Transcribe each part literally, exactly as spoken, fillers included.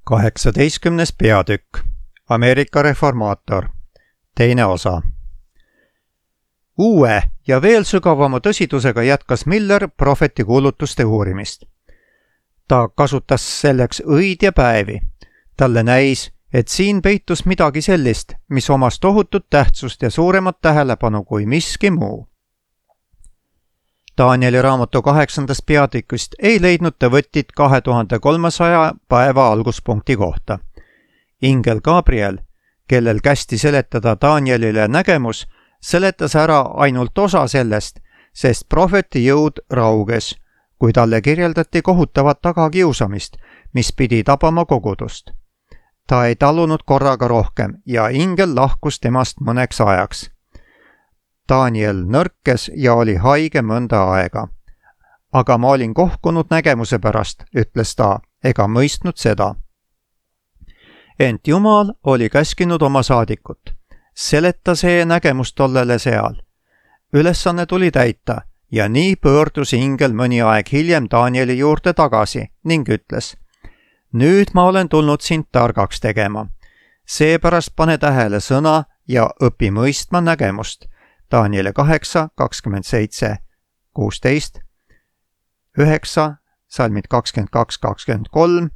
kaheksateistkümnes peatükk Ameerika reformaator. Teine osa. Uue ja veel sügavama tõsidusega jätkas Miller prohveti kuulutuste uurimist. Ta kasutas selleks õid ja päevi. Talle näis, et siin peitus midagi sellist, mis omas tohutut tähtsust ja suuremat tähelepanu kui miski muu. Danieli raamatu kaheksandast peatükist ei leidnud ta võttit kahe tuhande kolmesaja päeva alguspunkti kohta. Ingel Gabriel, kellel kästi seletada Danielile nägemus, seletas ära ainult osa sellest, sest prohveti jõud rauges, kui talle kirjeldati kohutavat tagakiusamist, mis pidi tabama kogudust. Ta ei talunud korraga rohkem ja ingel lahkus temast mõneks ajaks. Daniel nõrkes ja oli haige mõnda aega. Aga ma olin kohkunud nägemuse pärast, ütles ta, ega mõistnud seda. Ent Jumal oli käskinud oma saadikut. Seleta see nägemus tollele seal. Ülesanne tuli täita ja nii pöördus ingel mõni aeg hiljem Danieli juurde tagasi ning ütles: Nüüd ma olen tulnud sind targaks tegema. Seepärast pane tähele sõna ja õpi mõistma nägemust. Danieli kaheksa, kakskümmend seitse, kuusteist, üheksa, salmid kakskümmend kaks, kakskümmend kolm,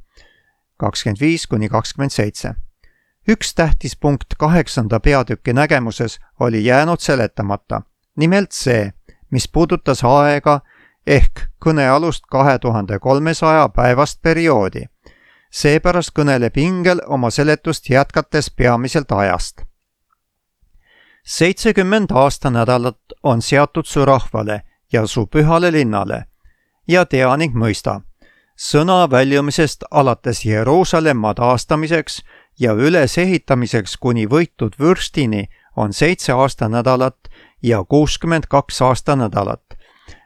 kakskümmend viis kuni kakskümmend seitse. Üks tähtis punkt kaheksanda peatüki nägemuses oli jäänud seletamata. Nimelt see, mis puudutas aega ehk kõnealust kahe tuhande kolmesaja päevast perioodi. Seepärast kõneleb ingel oma seletust jätkates peamiselt ajast. seitsekümmend aastanädalat on seatud su rahvale ja su pühale linnale ja tea ning mõista. Sõna väljumisest alates Jeruusalemma taastamiseks ja ülesehitamiseks kuni võitud vürstini on seitse aastanädalat ja kuuskümmend kaks aastanädalat.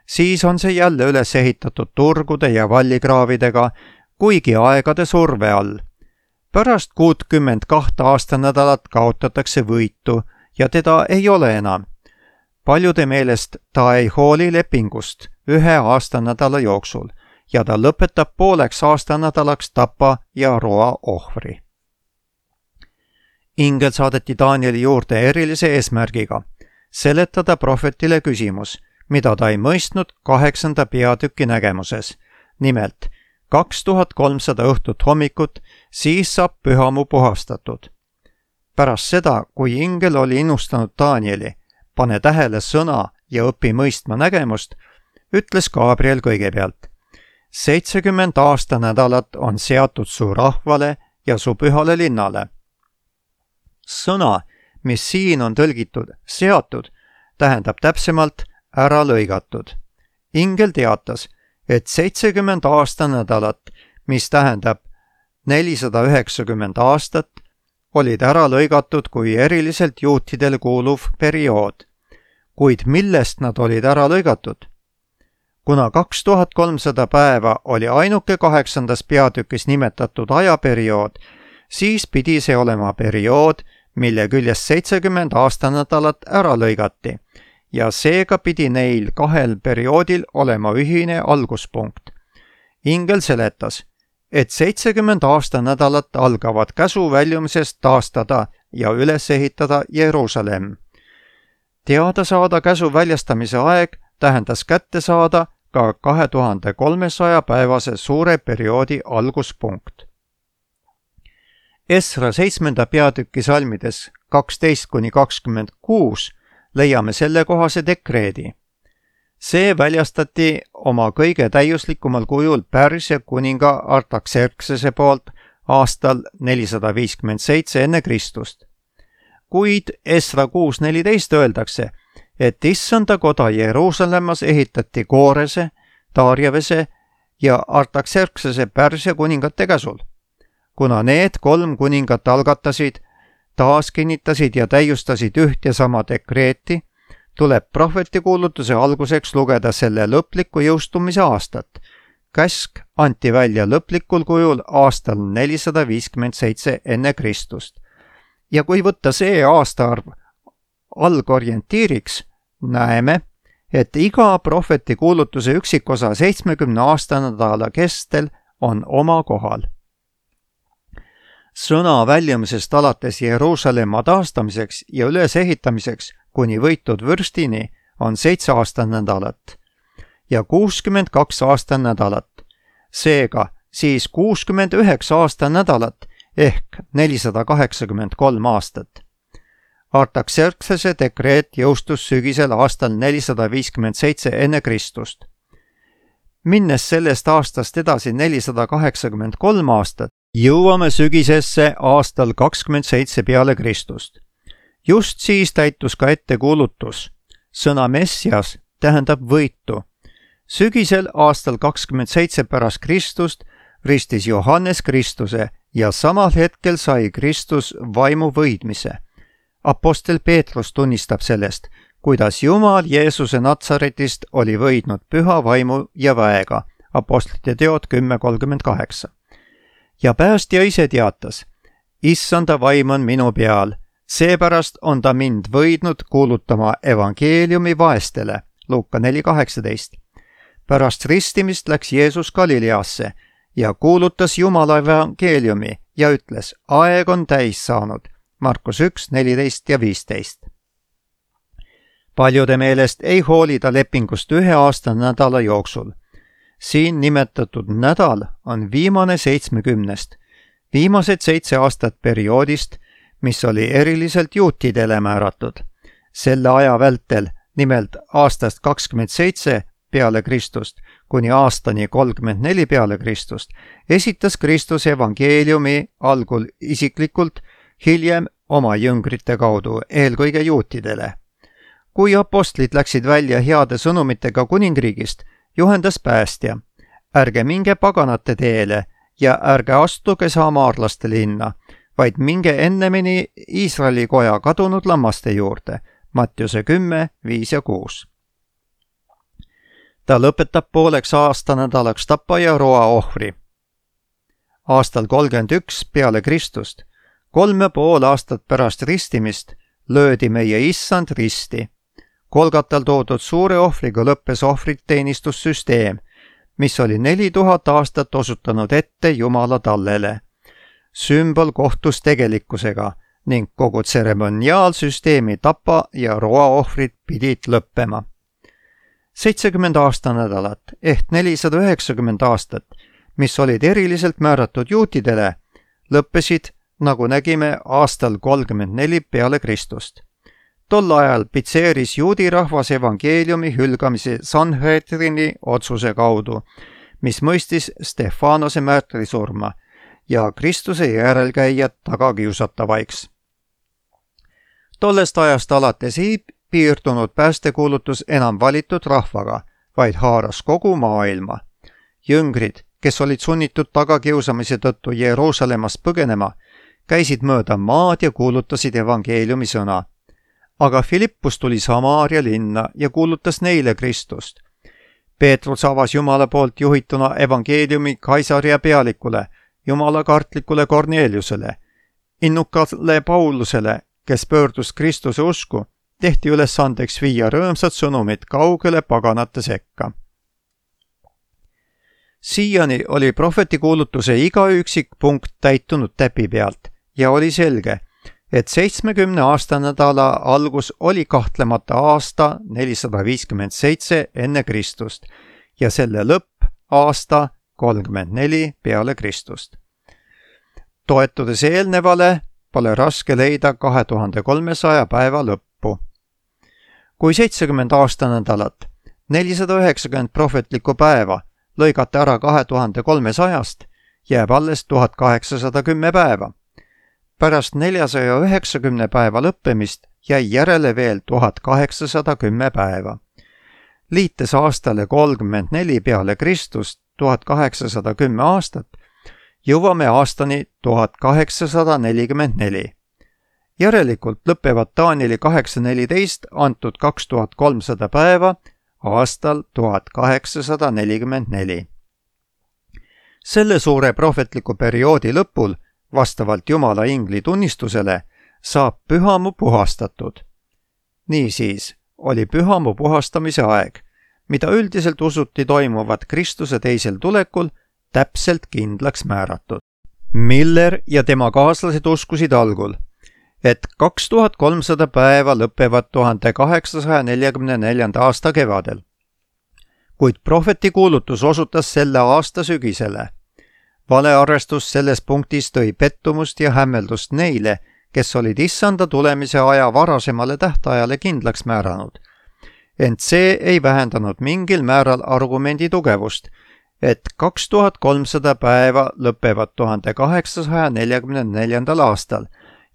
Siis on see jälle üles ehitatud turgude ja vallikraavidega, kuigi aegade surve all. Pärast kuutkümmend kahte aastanädalat kaotatakse võitu ja teda ei ole enam. Paljude meelest ta ei hooli lepingust ühe aastanädala jooksul ja ta lõpetab pooleks aastanädalaks tapa ja roa ohvri. Ingel saadeti Danieli juurde erilise eesmärgiga seletada prohvetile küsimus, mida ta ei mõistnud kaheksanda peatüki nägemuses. Nimelt, kaks tuhat kolmsada õhtut hommikut, siis saab pühamu puhastatud. Pärast seda, kui ingel oli innustanud Danieli, pane tähele sõna ja õpi mõistma nägemust, ütles Gabriel kõigepealt: seitsekümmend aastanädalat on seatud su rahvale ja su pühale linnale. Sõna, mis siin on tõlgitud seatud, tähendab täpsemalt ära lõigatud. Ingel teatas, et seitsekümmend aastanädalat, mis tähendab nelisada üheksakümmend aastat, olid ära lõigatud kui eriliselt juutidele kuuluv periood. Kuid millest nad olid ära lõigatud? Kuna kaks tuhat kolmsada päeva oli ainuke kaheksandas peatükis nimetatud ajaperiood, siis pidi see olema periood, mille küljest seitsekümmend aastanädalat ära lõigati ja seega pidi neil kahel perioodil olema ühine alguspunkt. Ingel seletas, et seitsekümmend aastanädalat algavad käsu väljumisest taastada ja üles ehitada Jeruusalemm. Teada saada käsu väljastamise aeg tähendas kätte saada ka kahe tuhande kolmesaja päevase suure perioodi alguspunkt. Esra seitsmenda peatüki salmides kaksteist kuni kakskümmend kuus leiame sellekohase dekreedi. See väljastati oma kõige täiuslikumal kujul Pärsia kuninga Artaxerxese poolt aastal nelisada viiskümmend seitse enne Kristust. Kuid Esra kuus neliteist öeldakse, et issanda koda Jeruusalemmas ehitati Koorese, Darjavese ja Artaxerxese Pärsia kuningate käsul. Kuna need kolm kuningat algatasid, taas kinnitasid ja täiustasid üht ja sama dekreeti, tuleb prohveti kuulutuse alguseks lugeda selle lõpliku jõustumise aastat. Käsk anti välja lõplikul kujul aastal nelisada viiskümmend seitse enne Kristust. Ja kui võtta see aastaarv algorientiiriks, näeme, et iga prohveti kuulutuse üksikosa seitsmekümne aastanädala kestel on oma kohal. sõna väljumisest alates Jeruusalemma taastamiseks ja ülesehitamiseks kuni võitud vürstini on seitse aastanädalat ja kuuskümmend kaks aastanädalat. Seega siis kuuskümmend üheksa aastanädalat ehk nelisada kaheksakümmend kolm aastat. Artaxerxese dekreet jõustus sügisel aastal nelisada viiskümmend seitse enne Kristust. Minnes sellest aastast edasi nelisada kaheksakümmend kolm aastat, jõuame sügisesse aastal kakskümmend seitse peale Kristust. Just siis täitus ka ettekuulutus. Sõna Messias tähendab võitu. Sügisel aastal kakskümmend seitse pärast Kristust ristis Johannes Kristuse ja samal hetkel sai Kristus vaimu võidmise. Apostel Peetrus tunnistab sellest, kuidas Jumal Jeesuse Natsaretist oli võidnud püha vaimu ja väega, apostlite teod kümme kolmkümmend kaheksa. Ja päästja ise teatas, issanda vaim on minu peal, seepärast on ta mind võidnud kuulutama evangeeliumi vaestele, Luuka neli kaheksateist. Pärast ristimist läks Jeesus Galileasse ja kuulutas Jumala evangeeliumi ja ütles, aeg on täis saanud, Markus üks neliteist ja viisteist. Paljude meelest ei hoolida lepingust ühe aasta nädala jooksul. Siin nimetatud nädal on viimane seitsmekümnest, viimased seitse aastat perioodist, mis oli eriliselt juutidele määratud. Selle aja vältel, nimelt aastast kakskümmend seitse peale Kristust kuni aastani kolmkümmend neli peale Kristust, esitas Kristus evangeeliumi algul isiklikult, hiljem oma jüngrite kaudu, eelkõige juutidele. Kui apostlid läksid välja heade sõnumitega kuningriigist, juhendas päästja. Ärge minge paganate teele ja ärge astuge samaarlaste linna, vaid minge ennemini Iisraeli koja kadunud lammaste juurde, Mattiuse kümme, viis ja kuus. Ta lõpetab pooleks aastanädalaks tapa ja roa ohvri. Aastal kolmkümmend üks peale Kristust, kolm ja pool aastat pärast ristimist, löödi meie issand risti. Kolgatal toodud suure ohvriga lõppes ohvriteenistussüsteem, mis oli neli tuhat aastat osutanud ette Jumala tallele. Sümbol kohtus tegelikkusega ning kogu tseremoniaalsüsteemi tapa ja roa ohvrid pidid lõppema. seitsekümmend aastanädalat ehk nelisada üheksakümmend aastat, mis olid eriliselt määratud juutidele, lõppesid, nagu nägime, aastal kolmkümmend neli peale Kristust. Tol ajal pitseeris juudi rahvas evangeeliumi hülgamise Sanhedrini otsuse kaudu, mis mõistis Stefanose märtrisurma ja Kristuse järelkäijad tagakiusatavaiks. Tollest ajast alates ei piirdunud päästekuulutus enam valitud rahvaga, vaid haaras kogu maailma. Jüngrid, kes olid sunnitud tagakiusamise tõttu Jeruusalemmast põgenema, käisid mööda maad ja kuulutasid evangeeliumi sõna. Aga Filippus tuli Samaaria linna ja kuulutas neile Kristust. Peetrus avas Jumala poolt juhituna evangeeliumi Kaisaria pealikule, Jumala kartlikule Korneliusele, innukale Paulusele, kes pöördus Kristuse usku, tehti ülesandeks viia rõõmsad sõnumid kaugele paganate sekka. Siiani oli prohveti kuulutuse iga üksik punkt täitunud täpi pealt ja oli selge, et seitsmekümne aastanädala algus oli kahtlemata aasta nelisada viiskümmend seitse enne Kristust ja selle lõpp aasta kolmkümmend neli peale Kristust. Toetudes eelnevale, pole raske leida kahe tuhande kolmesaja päeva lõppu. Kui seitsekümmend aastanädalat, nelisada üheksakümmend prohvetlikku päeva lõigata ära kahe tuhande kolmesajast, jääb alles tuhat kaheksasada kümme päeva. Pärast neljasaja üheksakümne päeva lõppemist jäi järele veel tuhat kaheksasada kümme päeva. Liites aastale kolmkümmend neli peale Kristust tuhat kaheksasada kümme aastat, jõuame aastani tuhat kaheksasada nelikümmend neli. Järelikult lõpevad Danieli kaheksa neliteist antud kaks tuhat kolmsada päeva aastal tuhat kaheksasada nelikümmend neli. Selle suure prohvetliku perioodi lõpul, vastavalt Jumala ingli tunnistusele, saab pühamu puhastatud. Niisiis oli pühamu puhastamise aeg, mida üldiselt usuti toimuvat Kristuse teisel tulekul, täpselt kindlaks määratud. Miller ja tema kaaslased uskusid algul, et kaks tuhat kolmsada päeva lõpevad tuhande kaheksasaja neljakümne neljanda aasta kevadel. Kuid prohveti kuulutus osutas selle aasta sügisele. Valearvestus selles punktis tõi pettumust ja hämmeldust neile, kes olid issanda tulemise aja varasemale tähtajale kindlaks määranud. Ent see ei vähendanud mingil määral argumendi tugevust, et kaks tuhat kolmsada päeva lõpevad tuhande kaheksasaja neljakümne neljandal aastal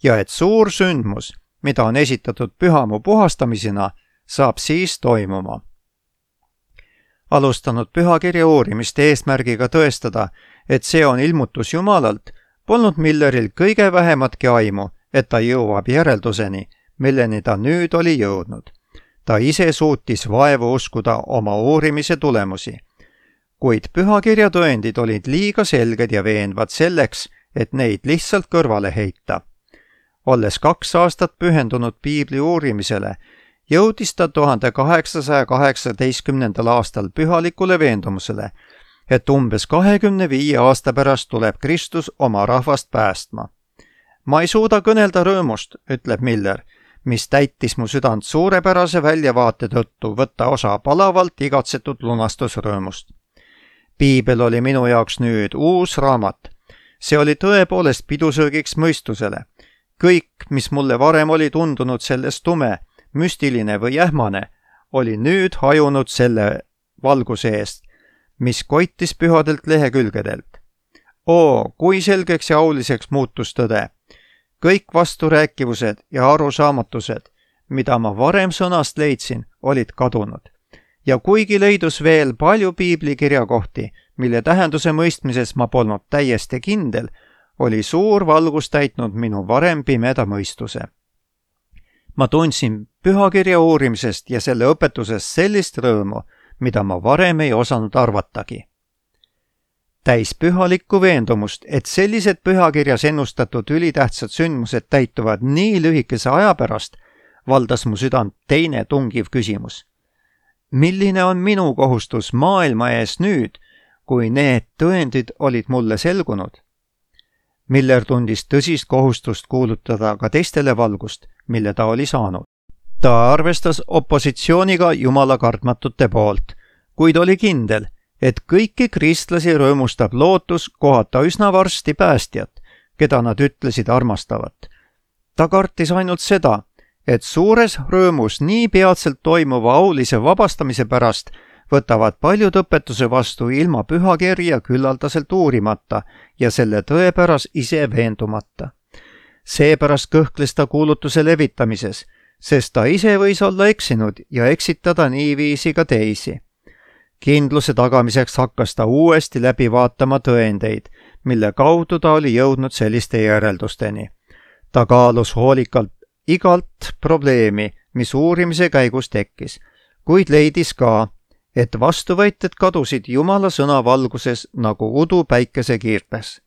ja et suur sündmus, mida on esitatud pühamu puhastamisena, saab siis toimuma. Alustanud pühakirja uurimist eesmärgiga tõestada, et see on ilmutus Jumalalt, polnud Milleril kõige vähematki aimu, et ta jõuab järelduseni, milleni ta nüüd oli jõudnud. Ta ise suutis vaevu uskuda oma uurimise tulemusi. Kuid pühakirja tõendid olid liiga selged ja veenvad selleks, et neid lihtsalt kõrvale heita. Olles kaks aastat pühendunud piibli uurimisele, jõudis ta tuhande kaheksasaja kaheksateistkümnendal aastal pühalikule veendumusele, et umbes kahekümne viie aasta pärast tuleb Kristus oma rahvast päästma. Ma ei suuda kõnelda rõõmust, ütleb Miller, mis täitis mu südant suurepärase väljavaate tõttu võtta osa palavalt igatsetud lunastusrõõmust. Piibel oli minu jaoks nüüd uus raamat. See oli tõepoolest pidusöögiks mõistusele. Kõik, mis mulle varem oli tundunud selles tume, müstiline või ähmane, oli nüüd hajunud selle valguse eest, mis koitis pühadelt lehekülgedelt. Oo, kui selgeks ja auliseks muutus tõde. Kõik vasturääkivused ja arusaamatused, mida ma varem sõnast leidsin, olid kadunud. Ja kuigi leidus veel palju piiblikirjakohti, mille tähenduse mõistmises ma polnud täiesti kindel, oli suur valgus täitnud minu varem pimeda mõistuse. Ma tundsin pühakirja uurimisest ja selle õpetusest sellist rõõmu, mida ma varem ei osanud arvatagi. Täis pühalikku veendumust, et sellised pühakirjas ennustatud ülitähtsad sündmused täituvad nii lühikese aja pärast, valdas mu südant teine tungiv küsimus. Milline on minu kohustus maailma ees nüüd, kui need tõendid olid mulle selgunud? Miller tundis tõsist kohustust kuulutada ka teistele valgust, mille ta oli saanud. Ta arvestas opositsiooniga jumala kartmatute poolt, kuid oli kindel, et kõiki kristlasi rõõmustab lootus kohata üsna varsti päästjat, keda nad ütlesid armastavat. Ta kartis ainult seda, et suures rõõmus nii peatselt toimuva aulise vabastamise pärast võtavad paljud õpetuse vastu ilma pühakirja küllaldaselt uurimata ja selle tõepäras ise veendumata. Seepärast kõhkles ta kuulutuse levitamises, sest ta ise võis olla eksinud ja eksitada niiviisi ka teisi. Kindluse tagamiseks hakkas ta uuesti läbi vaatama tõendeid, mille kaudu ta oli jõudnud selliste järeldusteni. Ta kaalus hoolikalt igalt probleemi, mis uurimise käigus tekkis, kuid leidis ka, et vastuvõited kadusid Jumala sõna valguses nagu udu päikese kiirtes.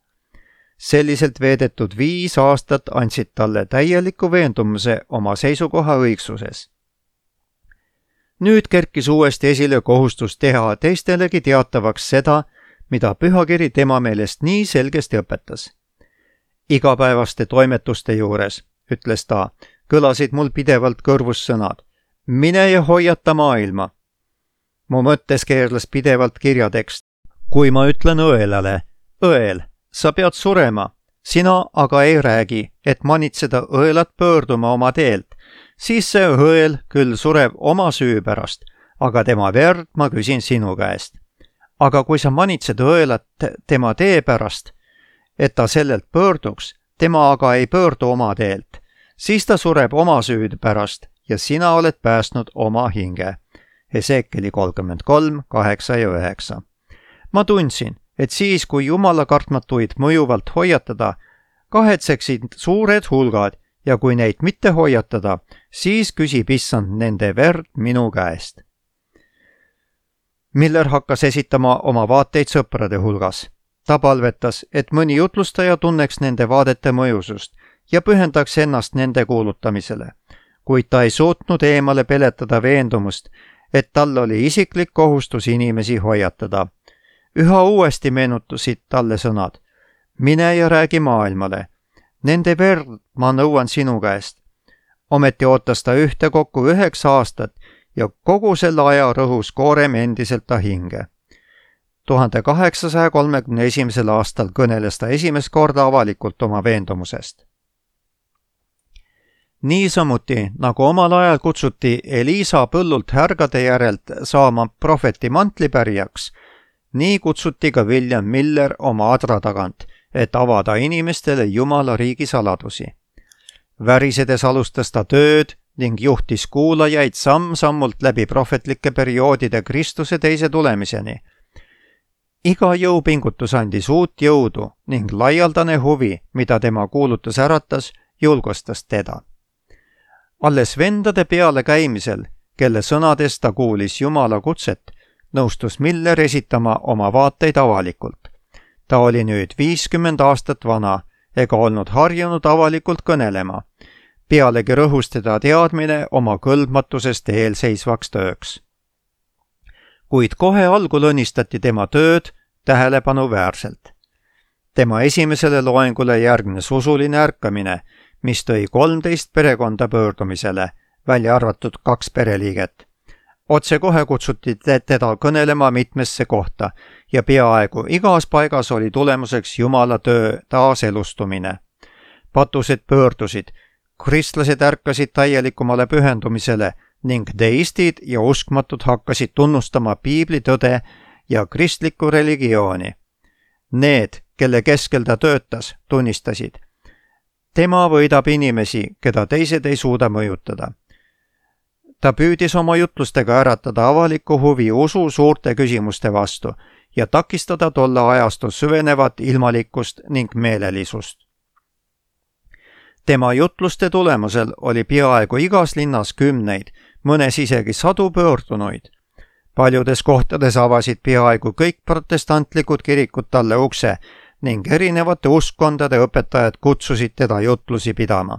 Selliselt veedetud viis aastat andsid talle täieliku veendumuse oma seisukoha õigsuses. Nüüd kerkis uuesti esile kohustus teha teistelegi teatavaks seda, mida pühakiri tema meelest nii selgesti õpetas. Igapäevaste toimetuste juures, ütles ta, kõlasid mul pidevalt kõrvus sõnad. Mine ja hoiata maailma. Mu mõttes keerles pidevalt kirjatekst. Kui ma ütlen õelale, õel, sa pead surema, sina aga ei räägi, et manitseda õelat pöörduma oma teelt, siis see õel küll sureb oma süü pärast, aga tema verd ma küsin sinu käest. Aga kui sa manitsed õelat tema tee pärast, et ta sellelt pöörduks, tema aga ei pöördu oma teelt, siis ta sureb oma süüd pärast ja sina oled päästnud oma hinge. Hesekieli kolmkümmend kolm, kaheksa ja üheksa. Ma tundsin, et siis, kui Jumala kartmatuid mõjuvalt hoiatada, kahetseksid suured hulgad ja kui neid mitte hoiatada, siis küsib issand nende verd minu käest. Miller hakkas esitama oma vaateid sõprade hulgas. Ta palvetas, et mõni jutlustaja tunneks nende vaadete mõjusust ja pühendaks ennast nende kuulutamisele, kuid ta ei suutnud eemale peletada veendumust, et tal oli isiklik kohustus inimesi hoiatada. Üha uuesti meenutusid talle sõnad. mine ja räägi maailmale. Nende verd ma nõuan sinu käest. Ometi ootas ta ühtekokku üheksa aastat ja kogu selle aja rõhus koorem endiselt ta hinge. tuhande kaheksasaja kolmekümne esimesel aastal kõneles ta esimest korda avalikult oma veendumusest. Niisamuti, nagu omal ajal kutsuti Elisa põllult härgade järelt saama prohveti mantlipärijaks, nii kutsuti ka William Miller oma adra tagant, et avada inimestele Jumala riigi saladusi. Värisedes alustas ta tööd ning juhtis kuulajaid samm-sammult läbi prohvetlike perioodide Kristuse teise tulemiseni. Iga jõupingutus andis uut jõudu ning laialdane huvi, mida tema kuulutus äratas, julgustas teda. Alles vendade peale käimisel, kelle sõnades ta kuulis Jumala kutset, nõustus Miller esitama oma vaateid avalikult. Ta oli nüüd viiskümmend aastat vana ega olnud harjunud avalikult kõnelema. Pealegi rõhus teda teadmine oma kõlbmatusest eelseisvaks tööks. Kuid kohe algul õnnistati tema tööd tähelepanuväärselt. Tema esimesele loengule järgnes usuline ärkamine, mis tõi kolmteist perekonda pöördumisele, välja arvatud kaks pereliiget. Otse kohe kutsuti teda kõnelema mitmesse kohta ja peaaegu igas paigas oli tulemuseks Jumala töö taaselustumine. Patused pöördusid, kristlased ärkasid täielikumale pühendumisele ning deistid ja uskmatud hakkasid tunnustama piibli tõde ja kristlikku religiooni. Need, kelle keskel ta töötas, tunnistasid: tema võidab inimesi, keda teised ei suuda mõjutada. Ta püüdis oma jutlustega äratada avalikku huvi usu suurte küsimuste vastu ja takistada tolle ajastu süvenevat ilmalikkust ning meelelisust. Tema jutluste tulemusel oli peaaegu igas linnas kümneid, mõnes isegi sadu pöördunuid. Paljudes kohtades avasid peaaegu kõik protestantlikud kirikud talle ukse ning erinevate uskkondade õpetajad kutsusid teda jutlusi pidama.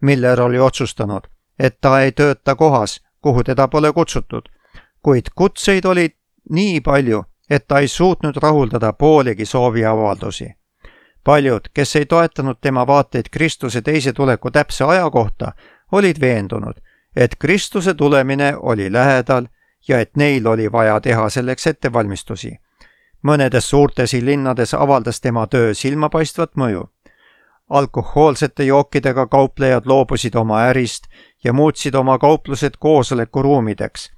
Miller oli otsustanud, et ta ei tööta kohas, kuhu teda pole kutsutud, kuid kutseid oli nii palju, et ta ei suutnud rahuldada poolegi sooviavaldusi. Paljud, kes ei toetanud tema vaateid Kristuse teise tuleku täpse aja kohta, olid veendunud, et Kristuse tulemine oli lähedal ja et neil oli vaja teha selleks ettevalmistusi. Mõnedes suurtes linnades avaldas tema töö silmapaistvat mõju. Alkohoolsete jookidega kauplejad loobusid oma ärist ja muutsid oma kauplused koosolekuruumideks.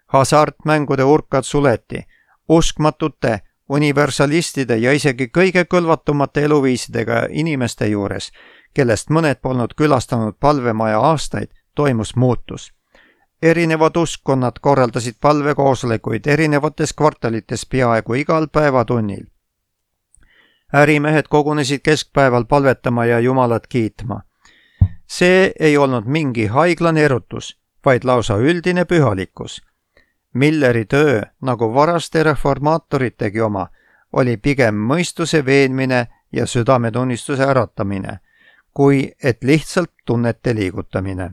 Hasartmängude urkad suleti, uskmatute, universalistide ja isegi kõige kõlvatumate eluviisidega inimeste juures, kellest mõned polnud külastanud palvemaja aastaid, toimus muutus. Erinevad uskkonnad korraldasid palvekoosolekuid erinevates kvartalites peaaegu igal päevatunnil. Ärimehed kogunesid keskpäeval palvetama ja Jumalat kiitma. See ei olnud mingi haiglane erutus, vaid lausa üldine pühalikkus. Milleri töö, nagu varaste reformaatoritegi oma, oli pigem mõistuse veenmine ja südametunnistuse äratamine, kui et lihtsalt tunnete liigutamine.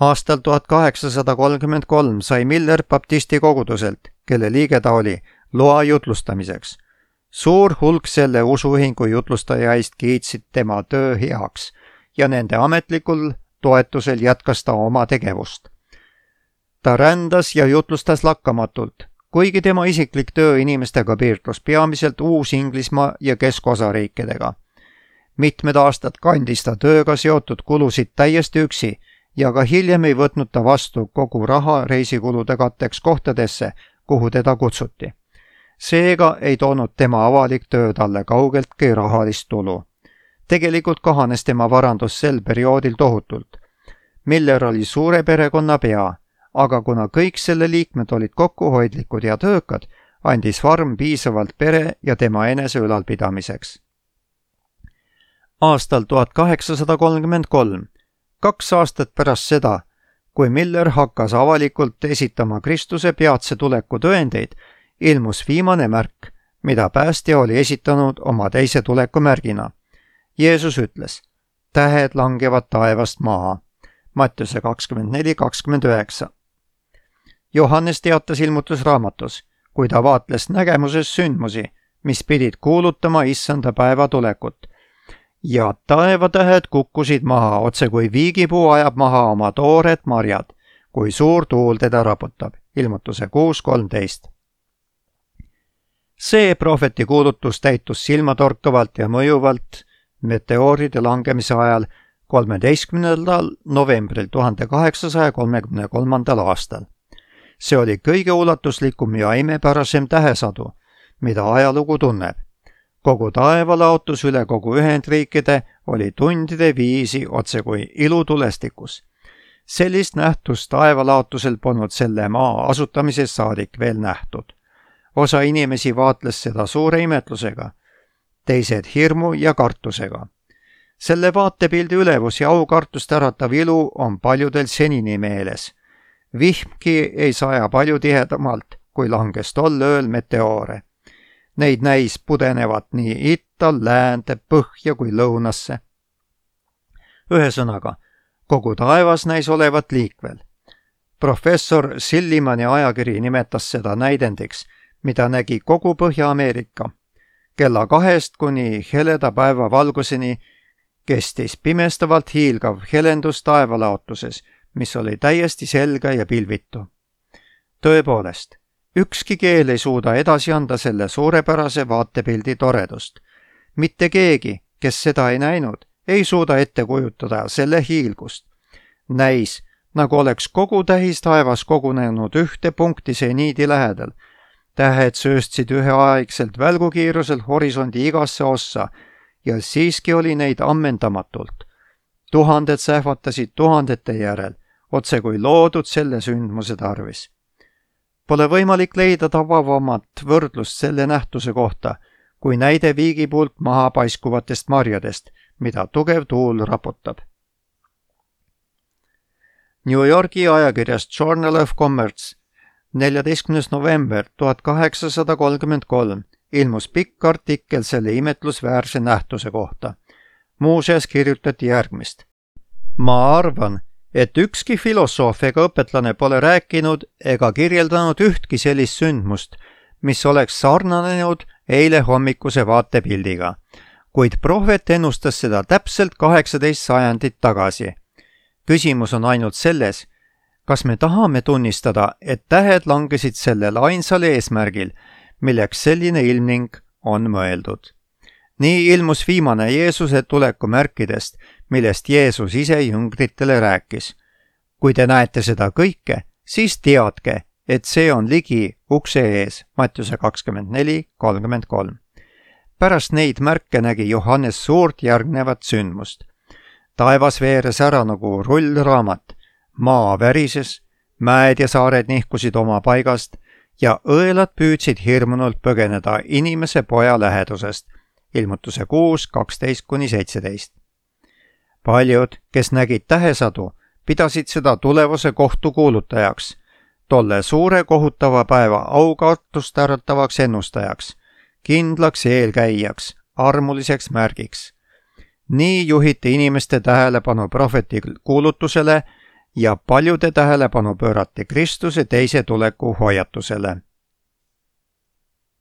Aastal tuhat kaheksasada kolmkümmend kolm sai Miller baptisti koguduselt, kelle liige ta oli, loa jutlustamiseks. Suur hulk selle usuühingu jutlustajaist kiitsid tema töö heaks ja nende ametlikul toetusel jätkas ta oma tegevust. Ta rändas ja jutlustas lakkamatult, kuigi tema isiklik töö inimestega piirdus peamiselt Uus-Inglismaa ja keskosariikidega. Mitmed aastad kandis ta tööga seotud kulusid täiesti üksi ja ka hiljem ei võtnud ta vastu kogu raha reisikulude katteks kohtadesse, kuhu teda kutsuti. Seega ei toonud tema avalik töö talle kaugeltki rahalist tulu. Tegelikult kahanes tema varandus sel perioodil tohutult. Miller oli suure perekonna pea, aga kuna kõik selle liikmed olid kokkuhoidlikud ja töökad, andis farm piisavalt pere ja tema enese ülalpidamiseks. Aastal tuhat kaheksasada kolmkümmend kolm, kaks aastat pärast seda, kui Miller hakkas avalikult esitama Kristuse peatse tuleku tõendeid, ilmus viimane märk, mida päästja oli esitanud oma teise tuleku märgina. Jeesus ütles: tähed langevad taevast maha. Mattiuse kakskümmend neli kakskümmend üheksa. Johannes teatas ilmutusraamatus, kui ta vaatles nägemuses sündmusi, mis pidid kuulutama issanda päeva tulekut. ja taevatähed kukkusid maha, otse kui viigipuu ajab maha oma toored marjad, kui suur tuul teda raputab. Ilmutuse kuus kolmteist. see prohveti kuulutus täitus silmatorkavalt ja mõjuvalt meteooride langemise ajal kolmeteistkümnendal novembril tuhande kaheksasaja kolmekümne kolmandal aastal. see oli kõige ulatuslikum ja imepärasem tähesadu, mida ajalugu tunneb. kogu taevalaotus üle kogu Ühendriikide oli tundide viisi otse kui ilutulestikus. sellist nähtust taevalaotusel polnud selle maa asutamisest saadik veel nähtud. osa inimesi vaatles seda suure imetlusega, teised hirmu ja kartusega. selle vaatepildi ülevus ja aukartust äratav ilu on paljudel senini meeles. Vihmki ei saja palju tihedamalt, kui langes tol ööl meteoore. Neid näis pudenevat nii itta, läände, põhja kui lõunasse. Ühesõnaga, kogu taevas näis olevat liikvel. Professor Sillimani ajakiri nimetas seda näidendiks, mida nägi kogu Põhja-Ameerika. Kella kahest kuni heleda päeva valguseni kestis pimestavalt hiilgav helendus taevalaotuses, mis oli täiesti selge ja pilvitu. Tõepoolest, ükski keel ei suuda edasi anda selle suurepärase vaatepildi toredust. Mitte keegi, kes seda ei näinud, ei suuda ette kujutada selle hiilgust. Näis, nagu oleks kogu tähis taevas kogunenud ühte punkti seniidi lähedal. Tähed sööstsid üheaegselt välgukiirusel horisondi igasse ossa ja siiski oli neid ammendamatult. Tuhanded sähvatasid tuhandete järel, otse kui loodud selle sündmuse tarvis. Pole võimalik leida tavavamat võrdlust selle nähtuse kohta, kui näide viigipuult maha paiskuvatest marjadest, mida tugev tuul raputab. New Yorgi ajakirjast Journal of Commerce neljateistkümnes november tuhat kaheksasada kolmkümmend kolm ilmus pikk artikkel selle imetlusväärse nähtuse kohta. Muuseas kirjutati järgmist. Ma arvan, et ükski filosoof ega õpetlane pole rääkinud ega kirjeldanud ühtki sellist sündmust, mis oleks sarnanenud eile hommikuse vaatepildiga, kuid prohvet ennustas seda täpselt kaheksateist sajandit tagasi. Küsimus on ainult selles, kas me tahame tunnistada, et tähed langesid sellel ainsal eesmärgil, milleks selline ilmning on mõeldud. Nii ilmus viimane Jeesuse tuleku märkidest, millest Jeesus ise jüngritele rääkis. Kui te näete seda kõike, siis teadke, et see on ligi ukse ees, Mattiuse kakskümmend neli kolmkümmend kolm. Pärast neid märke nägi Johannes suurt järgnevat sündmust. Taevas veeres ära nagu rullraamat, maa värises, mäed ja saared nihkusid oma paigast ja õelad püüdsid hirmunult põgeneda inimese poja lähedusest. Ilmutuse kuus kaksteist kuni seitseteist. Paljud, kes nägid tähesadu, pidasid seda tulevase kohtu kuulutajaks, tolle suure kohutava päeva aukartust äratavaks ennustajaks, kindlaks eelkäijaks, armuliseks märgiks. Nii juhiti inimeste tähelepanu prohveti kuulutusele ja paljude tähelepanu pöörati Kristuse teise tuleku hoiatusele.